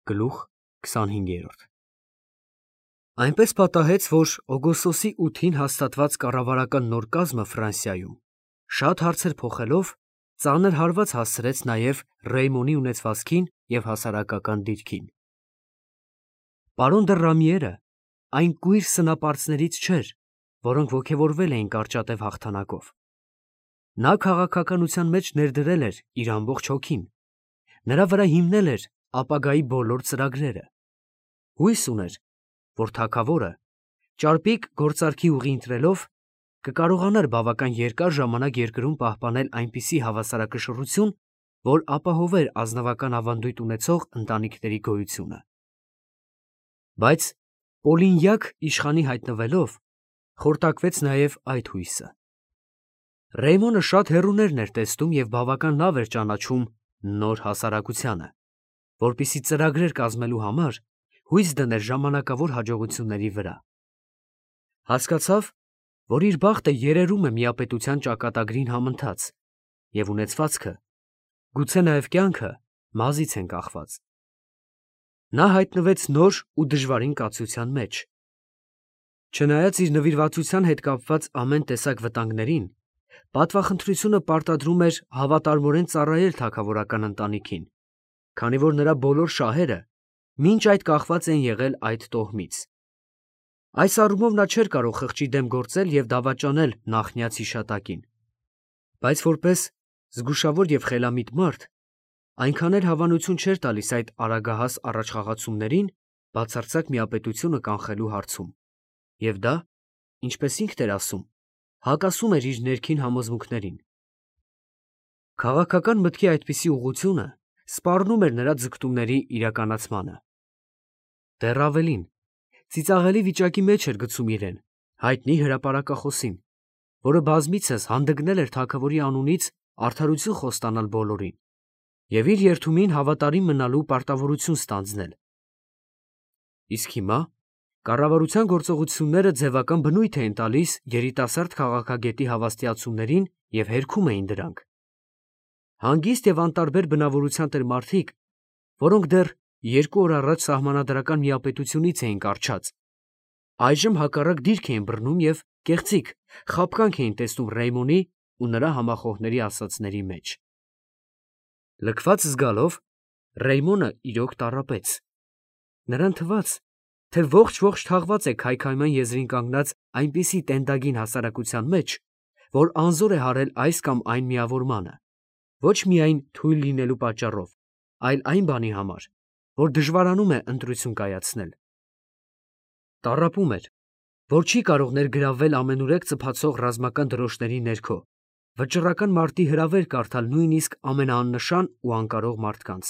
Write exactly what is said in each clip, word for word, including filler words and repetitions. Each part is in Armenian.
Գլուխ քսանհինգ։ Այնպես պատահեց, որ օգոստոսի ութին հաստատված կառավարական նոր կազմը Ֆրանսիայում շատ հարցեր փոխելով ծանր հարված հասցրեց նաև Ռեյմոնի ունեցվածքին և հասարակական դիրքին։ Պարոն դը Ռամիերը այն կույր սնապարծներից չէր, որոնք ոգևորվել էին կարճատև հաղթանակով։ Նա քաղաքականության մեջ ներդրել էր իր ամբողջ հոգին, նրա վրա հիմնել էր ապագայի բոլոր ծրագրերը։ Հույս ուներ, որ թագավորը ճարպիկ գործարքի ուղի ընտրելով կկարողանար բավական երկար ժամանակ երկրում պահպանել այնպիսի հավասարակշռություն, որ ապահովեր ազնվական ավանդույթ ունեցող ընտանիքների գոյությունը։ Բայց Պոլինյակ իշխանի հայտնվելով խորտակվեց նաև այդ հույսը։ Ռեյմոնը շատ հեռուներն էր տեսնում և բավական լավ էր ճանաչում նոր հասարակությանը, որպեսզի ծրագրեր կազմելու համար հույս դներ ժամանակավոր հաջողությունների վրա։ Հասկացավ, որ իր բախտը երերում է միապետության ճակատագրին համընթաց, և ունեցվածքը, գուցե նաև կյանքը մազից են կախված։ Նա հայտնվեց նոր ու դժվարին կացության մեջ։ Չնայած իր նվիրվածության հետ կապված ամեն տեսակ վտանգներին, պատվախնդրությունը պարտադրում էր հավատարմորեն ծառայել թագավորական ընտանիքին, քանի որ նրա բոլոր շահերը մինչ այդ կախված էին եղել այդ տոհմից։ Այս առումով նա չէր կարող խղճի դեմ գործել և դավաճանել նախնյաց հիշատակին, բայց որպես զգուշավոր և խելամիտ մարդ այնքան էլ հավանություն չէր տալիս այդ արագահաս առաջխաղացումներին բացարձակ միապետությունը կանխելու հարցում, և դա, ինչպես ինքն էր ասում, հակասում էր իր ներքին համոզմունքներին։ Քաղաքական մտքի այդպիսի ուղղությունը սպառնում էր նրա ձգտումների իրականացմանը։ Դեռ ավելին, ծիծաղելի վիճակի մեջ էր գցում իրեն հայտնի հրապարակախոսին, որը բազմիցս հանդգնել էր թագավորի անունից արդարություն խոստանալ բոլորին և իր երդումին հավատարիմ մնալու պարտավորություն ստանձնել։ Իսկ հիմա կառավարության գործողությունները ձևական բնույթ էին տալիս երիտասարդ քաղաքագետի հավաստիացումներին և հերքում էին դրանք։ Հանգիստ և անտարբեր բնավորության տեր մարդիկ, որոնք դեռ երկու օր առաջ սահմանադրական միապետությունից էին կառչած, այժմ հակառակ դիրք էին բռնում և կեղծիք, խաբկանք էին տեսնում Ռեյմոնի ու նրա համախոհների ասածների մեջ։ Լքված զգալով Ռեյմոնը իրոք տառապեց։ Նրան թվաց, թե ողջ֊ողջ թաղված է քայքայման եզրին կանգնած այնպիսի տենդագին հասարակության մեջ, որ անզոր է հարել այս կամ այն միավորմանը, ոչ միայն թույլ լինելու պատճառով, այլ այն բանի համար, որ դժվարանում է ընտրություն կայացնել։ Տառապում էր, որ չի կարող ներգրավվել ամենուրեք ծփացող ռազմական դրոշների ներքո, վճռական մարտի հրավեր կարդալ նույնիսկ ամենաաննշան ու անկարող մարդկանց։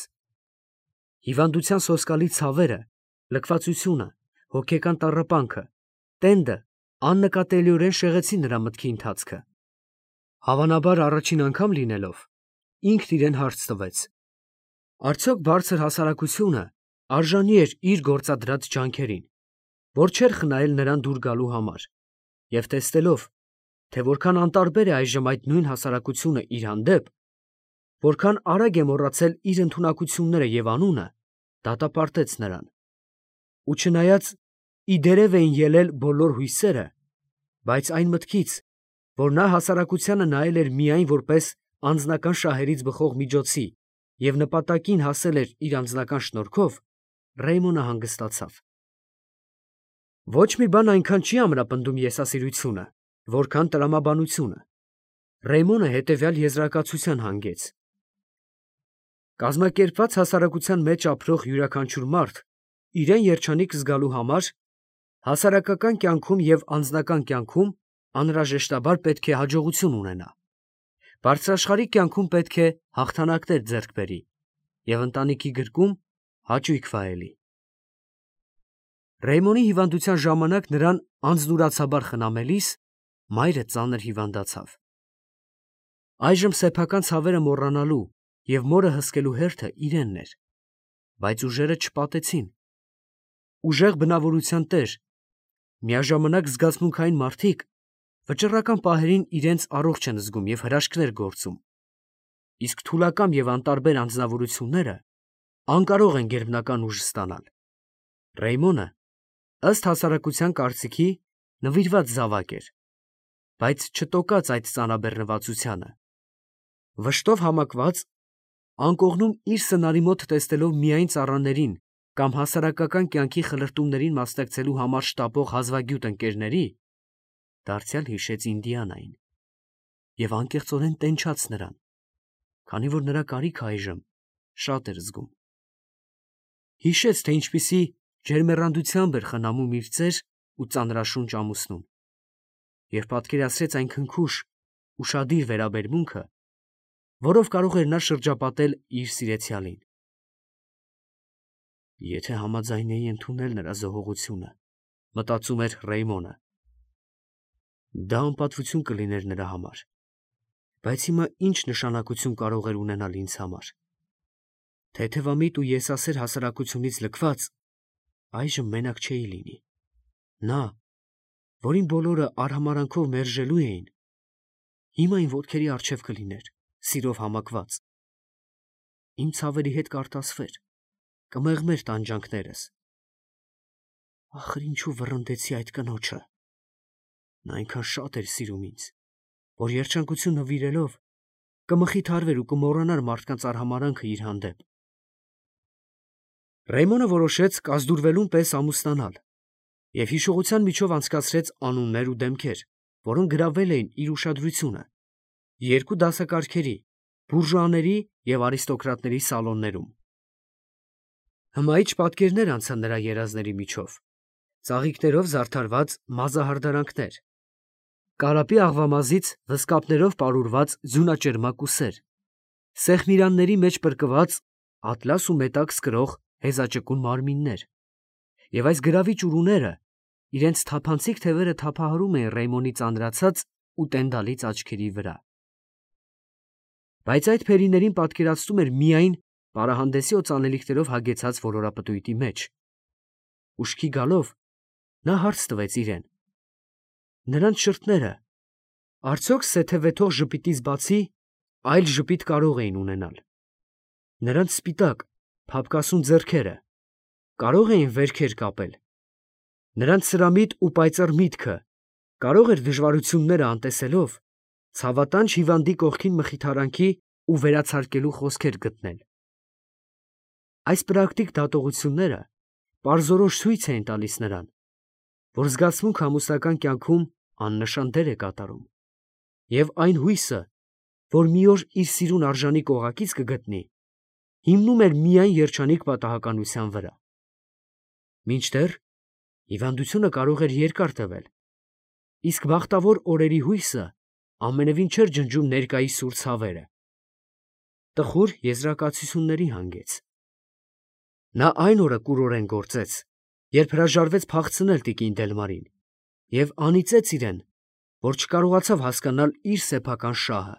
Հիվանդության սոսկալի ցավերը, լքվածությունը, հոգեկան տառապանքը, տենդը աննկատելիորեն շեղեցին նրա մտքի ընթացքը։ Հավանաբար առաջին անգամ լինելով, ինքն իրեն հարց տվեց. արդյոք բարձր հասարակությունը արժանի էր իր գործադրած ջանքերին, որ չէր խնայել նրան դուր գալու համար, և տեսնելով, թե որքան անտարբեր է այժմ այդ նույն հասարակությունը իր հանդեպ, որքան արագ է մոռացել իր ընդունակությունները և անունը, դատապարտեց նրան։ Ու չնայած ի դերև էին ելել բոլոր հույսերը, բայց այն մտքից, որ նա հասարակությանը նայել էր միայն որպես անձնական շահերից բխող միջոցի և նպատակին հասել էր իր անձնական շնորհքով, Ռեյմոնը հանգստացավ։ Ոչ մի բան այնքան չի ամրապնդում եսասիրությունը, որքան տրամաբանությունը։ Ռեյմոնը հետևյալ եզրակացության հանգեց. կազմակերպված հասարակության մեջ ապրող յուրաքանչյուր մարդ իրեն երջանիկ զգալու համար հասարակական կյանքում և անձնական կյանքում անհրաժեշտաբար պետք է հաջողություն ունենա, բարձրաշխարհիկ կյանքում պետք է հաղթանակներ ձեռք բերի և ընտանիքի գրկում հաճույք վայելի։ Ռեյմոնի հիվանդության ժամանակ նրան անձնուրացաբար խնամելիս մայրը ծանր հիվանդացավ։ Այժմ սեփական ցավերը մոռանալու և մորը հսկելու հերթը իրենն էր, բայց ուժերը չպատեցին։ Ուժեղ բնավորության տեր, միաժամանակ զգացմունքային մարդիկ վճռական պահերին իրենց առողջ են զգում և հրաշքներ գործում, իսկ թուլակամ և անտարբեր անձնավորությունները անկարող են գերբնական ուժ ստանալ։ Ռեյմոնը, ըստ հասարակության կարծիքի, նվիրված զավակ էր, բայց չտոկած այդ ծանրաբեռնվածությանը։ Վշտով համակված, անկողնում իր սնարի մոտ տեսնելով միայն ծառաներին կամ հասարակական կյանքի խլրտումներին մասնակցելու համար շտապող հազվագյուտ ընկերների, դարձյալ հիշեց Ինդիանային և անկեղծորեն տենչաց նրան, քանի որ նրա կարիքը այժմ շատ էր զգում։ Հիշեց, թե ինչպիսի ջերմեռանդությամբ էր խնամում իր ծեր ու ծանրաշունչ ամուսնուն, և պատկերացրեց այն քնքուշ, ուշադիր վերաբերմունքը, որով կարող էր նա շրջապատել իր սիրեցյալին։ Եթե համաձայնեի ընդունել նրա զոհողությունը, մտածում էր Ռեյմոնը, դա անպատվություն կլիներ նրա համար, բայց հիմա ինչ նշանակություն կարող էր ունենալ ինձ համար։ Թեթևամիտ ու եսասեր հասարակությունից լքված, այժմ մենակ չէի լինի։ Նա, որին բոլորը արհամարհանքով մերժելու էին, հիմա իմ ոտքերի առջև կլիներ, սիրով համակված։ Իմ ցավերի հետ կարտասվեր, կմեղմեր տանջանքներս։ Ախր ինչու վռնդեցի այդ կնոջը։ Նա այնքան շատ էր սիրում ինձ, որ երջանկություն նվիրելով կմխիթարվեր ու կմոռանար մարդկանց արհամարհանքը իր հանդեպ։ Ռեյմոնը որոշեց կազդուրվելուն պես ամուսնանալ և հիշողության միջով անցկացրեց անուններ ու դեմքեր, որոնք գրավել էին իր ուշադրությունը, երկու դասակարգերի՝ բուրժուաների և արիստոկրատների սալոններում։ Հմայիչ պատկերներ անցան նրա երազների միջով, ծաղիկներով զարդարված մազահարդարանքներ, կարապի աղվամազից վզկապներով պարուրված ձյունաճերմակ ուսեր, սեղմիրանների մեջ պրկված ատլաս ու մետաքս կրող հեզաճկուն մարմիններ, և այս գրավիչ ուրուները իրենց թափանցիկ թևերը թափահարում էին Ռեյմոնի ծանրացած ու տենդալից աչքերի վրա։ Բայց այդ փերիներին պատկերացնում էր միայն պարահանդեսի օծանելիքներով հագեցած ոլորապտույտի մեջ։ Ուշքի գալով, նա հարց տվեց իրեն. նրանց շրթները արդյոք սեթևեթող ժպիտից բացի այլ ժպիտ կարող էին ունենալ։ Նրանց սպիտակ, փափկասուն ձեռքերը կարո՞ղ էին վերքեր կապել։ Նրանց սրամիտ ու պայծառ միտքը կարո՞ղ էր դժվարությունները անտեսելով ցավատանջ հիվանդի կողքին մխիթարանքի ու վերացարկելու խոսքեր գտնել։ Այս պրակտիկ դատողությունները պարզորոշ ցույց էին տալիս նրան, որ զգացմունքը ամուսնական կյանքում աննշան դեր է կատարում, և այն հույսը, որ մի օր իր սիրուն արժանի կողակից կգտնի, հիմնում էր միայն երջանիկ պատահականության վրա։ Մինչդեռ հիվանդությունը կարող էր երկար տևել, իսկ բախտավոր օրերի հույսը ամենևին չէր ջնջում ներկայի սուր ցավերը։ Տխուր եզրակացությունների հանգեց։ Նա այն օրը կուրորեն գործեց, երբ հրաժարվեց փախցնել տիկին Դելմարին և անիծեց իրեն, որ չկարողացավ հասկանալ իր սեփական շահը։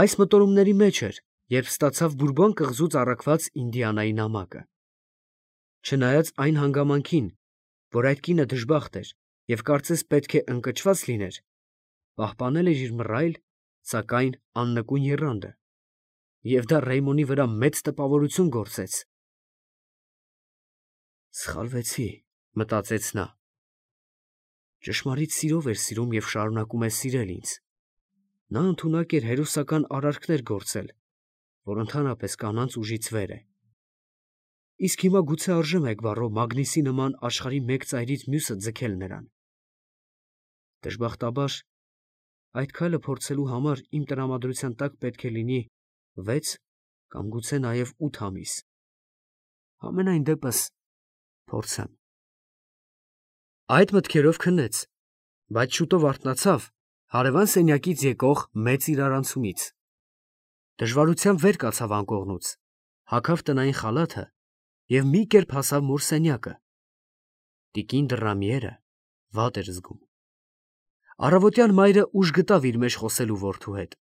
Այս մտորումների մեջ էր, երբ ստացավ Բուրբոն կղզուց առաքված Ինդիանայի նամակը։ Չնայած այն հանգամանքին, որ այդ կինը դժբախտ էր և կարծես պետք է ընկճված լիներ, պահպանել էր իր մռայլ, սակայն աննկուն եռանդը, և դա Ռեյմոնի վրա մեծ տպավորություն գործեց։ «Սխալվեցի», մտածեց նա։ Ճշմարիտ սիրով էր սիրում և շարունակում է սիրել ինձ։ Նա ընդունակ էր հերոսական արարքներ գործել, որ ընդհանրապես կանանց ուժից վեր է։ Իսկ հիմա գուցե արժե մեկ բառով Մագնիսի նման աշխարհի մեկ ծայրից մյուսը ձգել նրան։ Դժբախտաբար, այդ քայլը փորձելու համար իմ տրամադրության տակ պետք է լինի վեց կամ գուցե նաև ութ ամիս։ Համենայն դեպս փորձեմ։ Այդ մտքերով քնեց, բայց շուտով արթնացավ հարևան սենյակից եկող մեծ իրարանցումից։ Դժվարությամբ վեր կացավ անկողնուց, հագավ տնային խալաթը և մի կերպ հասավ մոր սենյակը։ Տիկին Դռամիերը վատ էր զգում։ Առավոտյան մայրը ուժ գտավ իր մեջ խոսելու որդու հետ։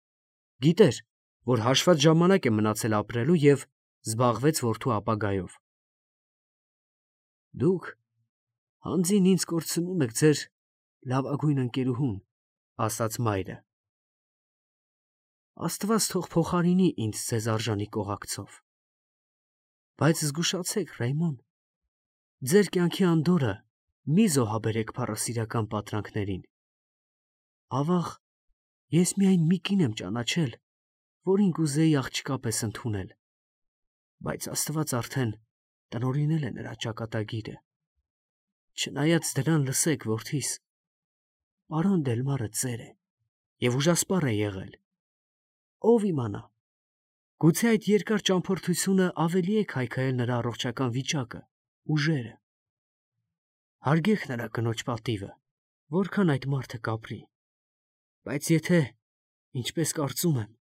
Գիտեր, որ հաշված ժամանակ է մնացել ապրելու և զբաղվեց որդու ապագայով։ Դուք հանձին ինձ կորցնում եք ձեր լավագույն ընկերուհուն, ասաց մայրը։ Աստված թող փոխարինի ինձ ձեզ արժանի կողակցով։ Բայց զգուշացեք, Ռեյմոն, ձեր կյանքի անդորրը մի զոհաբերեք փառասիրական պատրանքներին։ Ավաղ, ես միայն մի կին եմ ճանաչել, որին կուզեի աղջկա պես ընդունել, բայց Աստված արդեն տնօրինել է նրա ճակատագիրը։ Չնայած դրան, լսեք, որդիս, պարոն Դելմարը ծեր է և ուժասպառ է եղել։ Ով իմանա, գուցե այդ երկար ճամփորդությունը ավելի է քայքայել նրա առողջական վիճակը, ուժերը։ Հարգեք նրա կնոջ պատիվը, որքան այդ մարդը կապրի, բայց եթե, ինչպես կարծում եմ,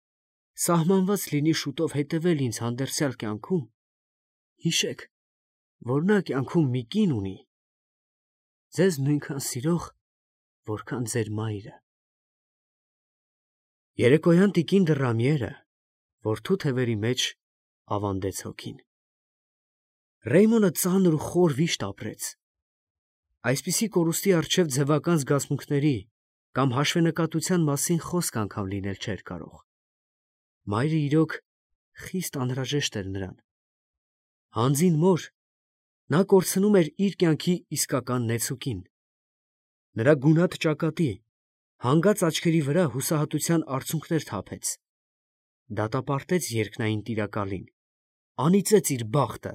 սահմանված լինի շուտով հետևել ինձ հանդերձյալ կյանքում, հիշեք, որ նա կյանքում մի կին ունի, ձեզ նույնքան սիրող, որքան ձեր մայրը։ Երեկոյան տիկին Դռամիերը որդու թևերի մեջ ավանդեց հոգին։ Ռեյմոնը ծանր ու խոր վիշտ ապրեց։ Այսպիսի կորուստի առջև ձևական զգացմունքների կամ հաշվենկատության մասին խոսք անգամ լինել չէր կարող։ Մայրը իրոք խիստ անհրաժեշտ էր նրան։ Հանձին մոր, նա կորցնում էր իր կյանքի իսկական նեցուկին։ Նրա գունատ ճակատի, հանգած աչքերի վրա հուսահատության արցունքներ թափեց, դատապարտեց երկնային տիրակալին, անիծեց իր բախտը։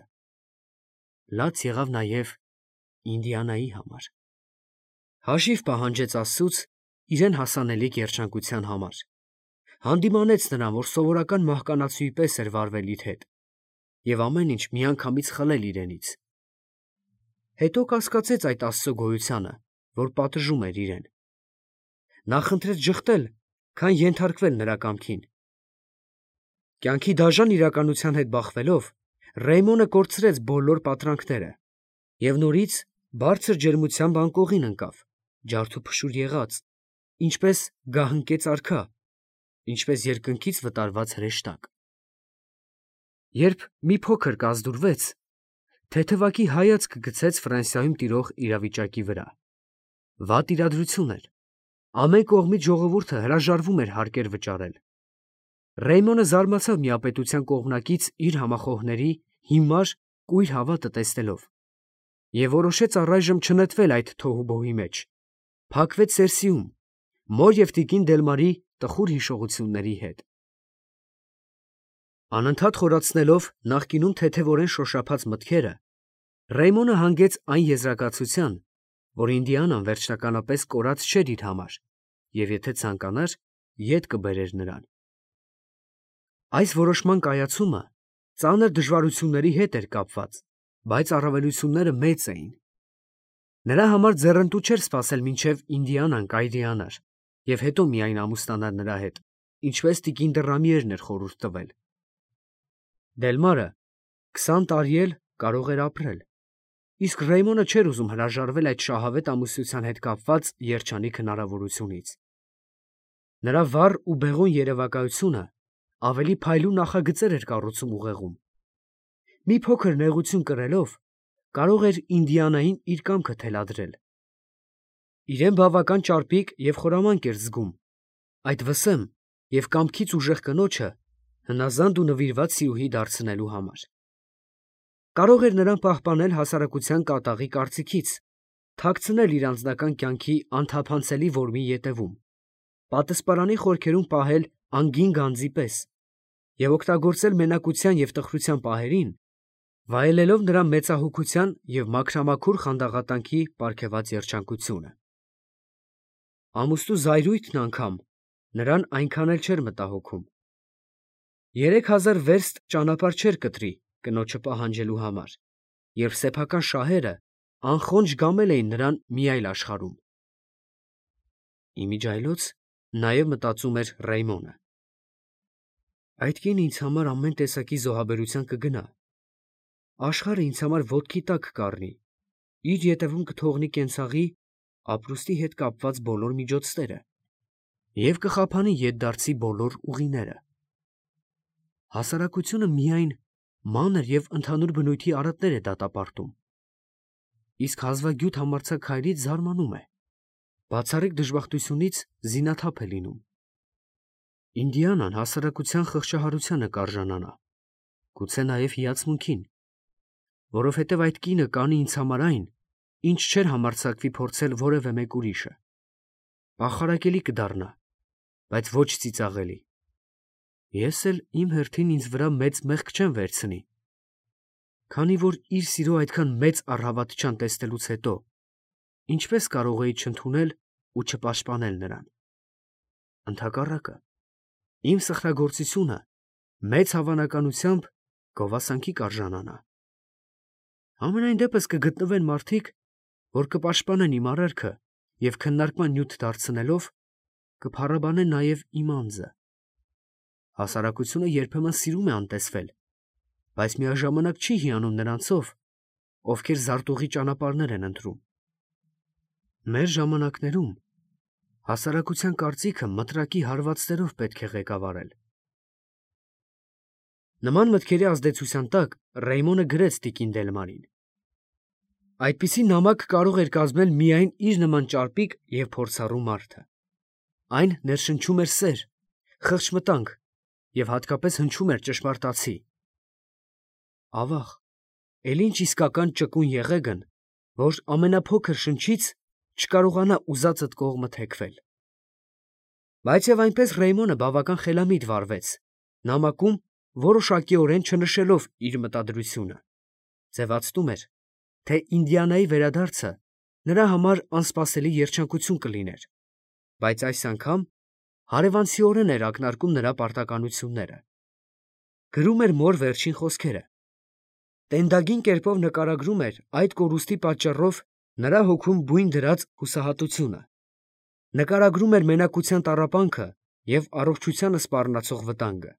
Լաց եղավ նաև Ինդիանայի համար։ Հաշիվ պահանջեց Աստծուց իրեն հասանելի երջանկության համար։ Հանդիմանեց նրան, որ սովորական մահկանացուի պես էր վարվել իր հետ և ամեն ինչ միանգամից խլել իրենից։ Հետո կասկածեց այդ Աստծո գոյությանը, որ պատժում էր իրեն։ Նա խնդրեց ժխտել, քան ենթարկվել նրա կամքին։ Կյանքի դաժան իրականության հետ բախվելով, Ռեյմոնը կորցրեց բոլոր պատրանքները և նորից բարձր ջերմությամբ անկողին ընկավ, ջարդուփշուր եղած, ինչպես գահընկեց արքա, ինչպես երկնքից վտարված հրեշտակ։ Երբ մի փոքր կազդուրվեց, թեթևակի հայացք գցեց Ֆրանսիայում տիրող իրավիճակի վրա։ Վատ իրադրություն էր։ Ամեն կողմից ժողովուրդը հրաժարվում էր հարկեր վճարել։ Ռեյմոնը զարմացավ միապետության կողմնակից իր համախոհների հիմար, կույր հավատը տեսնելով և որոշեց առայժմ չնետվել այդ թոհուբոհի մեջ, փակվեց Սերսիում, մոր և տիկին Դելմարի տխուր հիշողությունների հետ։ Անընդհատ խորացնելով նախկինում թեթևորեն շոշափած մտքերը, Ռեյմոնը հանգեց այն եզրակացության, որ Ինդիանան վերջնականապես կորած չէր իր համար և եթե ցանկանար, ետ կբերեր նրան։ Այս որոշման կայացումը ծանր դժվարությունների հետ էր կապված, բայց առավելությունները մեծ էին։ Նրա համար ձեռնտու չէր սպասել մինչև Ինդիանան կայրիանար և հետո միայն ամուսնանար նրա հետ, ինչպես տիկին Դռամիերն էր խորհուրդ տվել։ Դելմարը քսան տարի էլ կարող էր ապրել, իսկ Ռեյմոնը չէր ուզում հրաժարվել այդ շահավետ ամուսնության հետ կապված երջանիկ հնարավորությունից։ Նրա վառ ու բեղուն երևակայությունը ավելի փայլուն նախագծեր էր կառուցում ուղեղում։ Մի փոքր նեղություն կրելով, կարող էր Ինդիանային իր կամքը թելադրել։ Իրեն բավական ճարպիկ և խորամանկ էր զգում այդ վսեմ և կամքից ուժեղ կնոջը հնազանդ ու նվիրված սիրուհի դարձնելու համար։ Կարող էր նրան պահպանել հասարակության կատաղի կարծիքից, թաքցնել իր անձնական կյանքի անթափանցելի որմի ետևում, պատսպարանի խորքերում պահել անգին գանձի պես և օգտագործել մենակության և տխրության պահերին, վայելելով նրա մեծահոգության և մաքրամաքուր խանդաղատանքի պարգևած երջանկությունը։ Ամուսնու զայրույթն անգամ նրան այնքան էլ չէր մտահոգում։ Երեք հազար վերստ ճանապարհ չէր կտրի կնոջը պահանջելու համար, երբ սեփական շահերը անխոնջ գամել էին նրան մի այլ աշխարհում։ Իմիջիայլոց նաև մտածում էր Ռեյմոնը. այդ կինը ինձ համար ամեն տեսակի զոհաբերության կգնա, աշխարհը ինձ համար ոտքի տակ կառնի, իր ետևում կթողնի կենցաղի, ապրուստի հետ կապված բոլոր միջոցները և կխաբանի ետդարձի բոլոր ուղիները։ Հասարակությունը միայն մանր և ընդհանուր բնույթի արատներ է դատապարտում, իսկ հազվագյուտ համարձակ հայրից զարմանում է, բացառիկ դժբախտությունից զինաթափ է լինում։ Ինդիանան հասարակության խղճահարությանը կարժանանա, գուցե նաև հիացմունքին, որովհետև այդ կինը կանի ինձ համար այն, ինչ չէր համարձակվի փորձել որևէ մեկ ուրիշը։ Պախարակելի կդառնա, բայց ոչ ծիծաղելի։ Ես էլ իմ հերթին ինձ վրա մեծ մեղք չեմ վերցնի, քանի որ իր սիրո այդքան մեծ առհավատչան տեսնելուց հետո ինչպես կարող էի չընդունել ու չպաշտպանել նրան։ Ընդհակառակը, իմ սխրագործությունը մեծ հավանականությամբ գովասանքի կարժանանա։ Համենայն դեպս կգտնվեն մարդիկ, որ կպաշտպանեն իմ արարքը և քննարկման նյութ դարձնելով կփառաբանեն նաև իմ անձը։ Հասարակությունը երբեմն սիրում է անտեսվել, բայց միաժամանակ չի հիանում նրանցով, ովքեր զարտուղի ճանապարհներ են ընտրում։ Մեր ժամանակներում հասարակության կարծիքը մտրակի հարվածներով պետք է ղեկավարել։ Նման մտքերի ազդեցության տակ Ռեյմոնը գրեց տիկին Դելմարին. այդպիսի նամակ կարող էր կազմել միայն իր նման ճարպիկ և փորձառու մարդը։ Այն ներշնչում էր սեր, խղճմտանք և հատկապես հնչում էր ճշմարտացի։ Ավաղ, էլ ինչ իսկական ճկուն եղեգն, որ ամենափոքր շնչից չկարողանա ուզածդ կողմը թեքվել։ Բայց և այնպես Ռեյմոնը բավական խելամիտ վարվեց, նամակում որոշակիորեն չնշելով իր մտադրությունը, ձևացնում էր, թե Ինդիանայի վերադարձը նրա համար անսպասելի երջանկություն կլիներ, բայց այս անգամ հարևանցիորեն էր ակնարկում նրա պարտականությունները։ Գրում էր մոր վերջին խոսքերը։ Տենդագին կերպով նկարագրում էր այդ կորուստի պատճառով նրա հոգում բույն դրած հուսահատությունը։ Նկարագրում էր մենակության տառապանքը և առողջությանը սպառնացող վտանգը։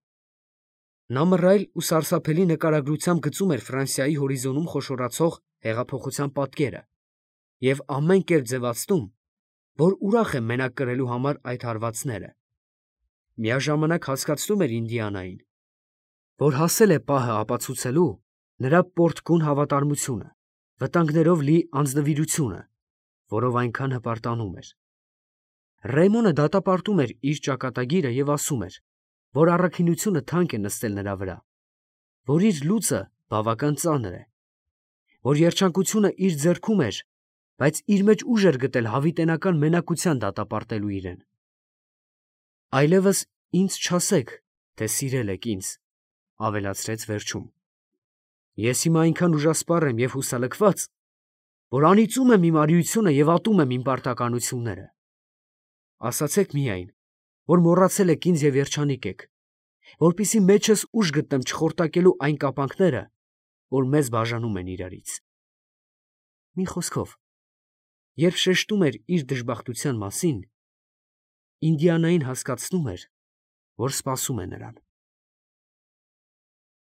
Նա մռայլ ու սարսափելի նկարագրությամբ գծում էր Ֆրանսիայի հորիզոնում խոշորացող հեղափոխության պատկերը և ամեն կերպ ձևացնում, որ ուրախ է մենակ կրելու համար այդ հարվածները։ Միաժամանակ հասկացնում էր Ինդիանային, որ հասել է պահը ապացուցելու նրա պորտկուն հավատարմությունը, վտանգներով լի անձնվիրությունը, որով այնքան հպարտանում էր։ Ռեյմոնը դատապարտում էր իր ճակատագիրը և ասում էր, որ առաքինությունը թանկ է նստել նրա վրա, որ իր լուծը բավական ծանր է, որ երջանկությունը իր ձեռքում էր, բայց իր մեջ ուժ էր գտել հավիտենական մենակության դատապարտելու իրեն։ Այլևս ինձ չասեք, թե սիրել եք ինձ, ավելացրեց վերջում։ Ես հիմա այնքան ուժասպառ եմ և հուսալքված, որ անիծում եմ իմ արիությունը և ատում եմ իմ պարտականությունները։ Ասացեք միայն, որ մոռացել եք ինձ և երջանիկ եք, որպեսզի մեջս ուժ գտնեմ չխորտակելու այն կապանքները, որ մեզ բաժանում են իրարից։ Մի խոսքով, երբ շեշտում էր իր դժբախտության մասին, Ինդիանային հասկացնում էր, որ սպասում է նրան։